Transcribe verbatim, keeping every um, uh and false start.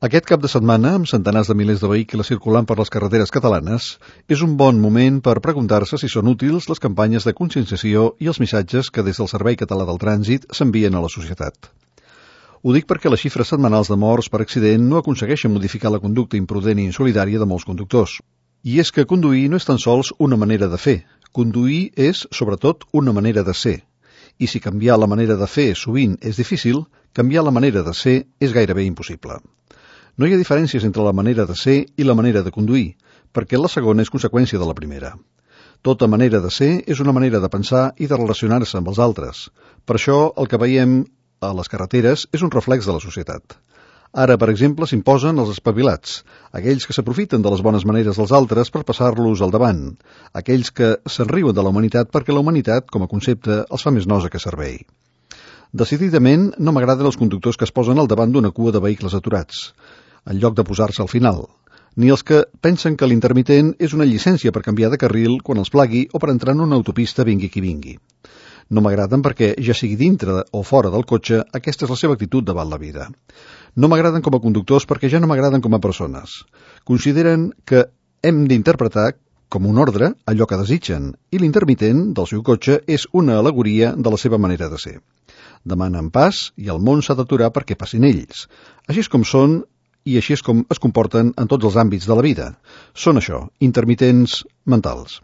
Aquest cap de setmana, amb centenars de milers de vehicles circulant per les carreteres catalanes, és un bon moment per preguntar-se si són útils les campanyes de conscienciació i els missatges que des del Servei Català del Trànsit s'envien a la societat. Ho dic perquè les xifres setmanals de morts per accident no aconsegueixen modificar la conducta imprudent i insolidària de molts conductors. I és que conduir no és tan sols una manera de fer. Conduir és, sobretot, una manera de ser. I si canviar la manera de fer sovint és difícil, canviar la manera de ser és gairebé impossible. No hi ha diferències entre la manera de ser i la manera de conduir, perquè la segona és conseqüència de la primera. Tota manera de ser és una manera de pensar i de relacionar-se amb els altres. Per això, el que veiem a les carreteres és un reflex de la societat. Ara, per exemple, s'imposen els espavilats, aquells que s'aprofiten de les bones maneres dels altres per passar-los al davant, aquells que se'n riuen de la humanitat perquè la humanitat, com a concepte, els fa més nosa que servei. Decididament, no m'agraden els conductors que es posen al davant d'una cua de vehicles aturats, en lloc de posar-se al final, ni els que pensen que l'intermitent és una llicència per canviar de carril quan els plagui o per entrar en una autopista vingui qui vingui. No m'agraden perquè, ja sigui dintre o fora del cotxe, aquesta és la seva actitud davant la vida. No m'agraden com a conductors perquè ja no m'agraden com a persones. Consideren que hem d'interpretar com un ordre allò que desitgen, i l'intermitent del seu cotxe és una al·legoria de la seva manera de ser. Demanen pas i el món s'ha d'aturar perquè passin ells. Així és com són i així és com es comporten en tots els àmbits de la vida. Són això, intermitents mentals.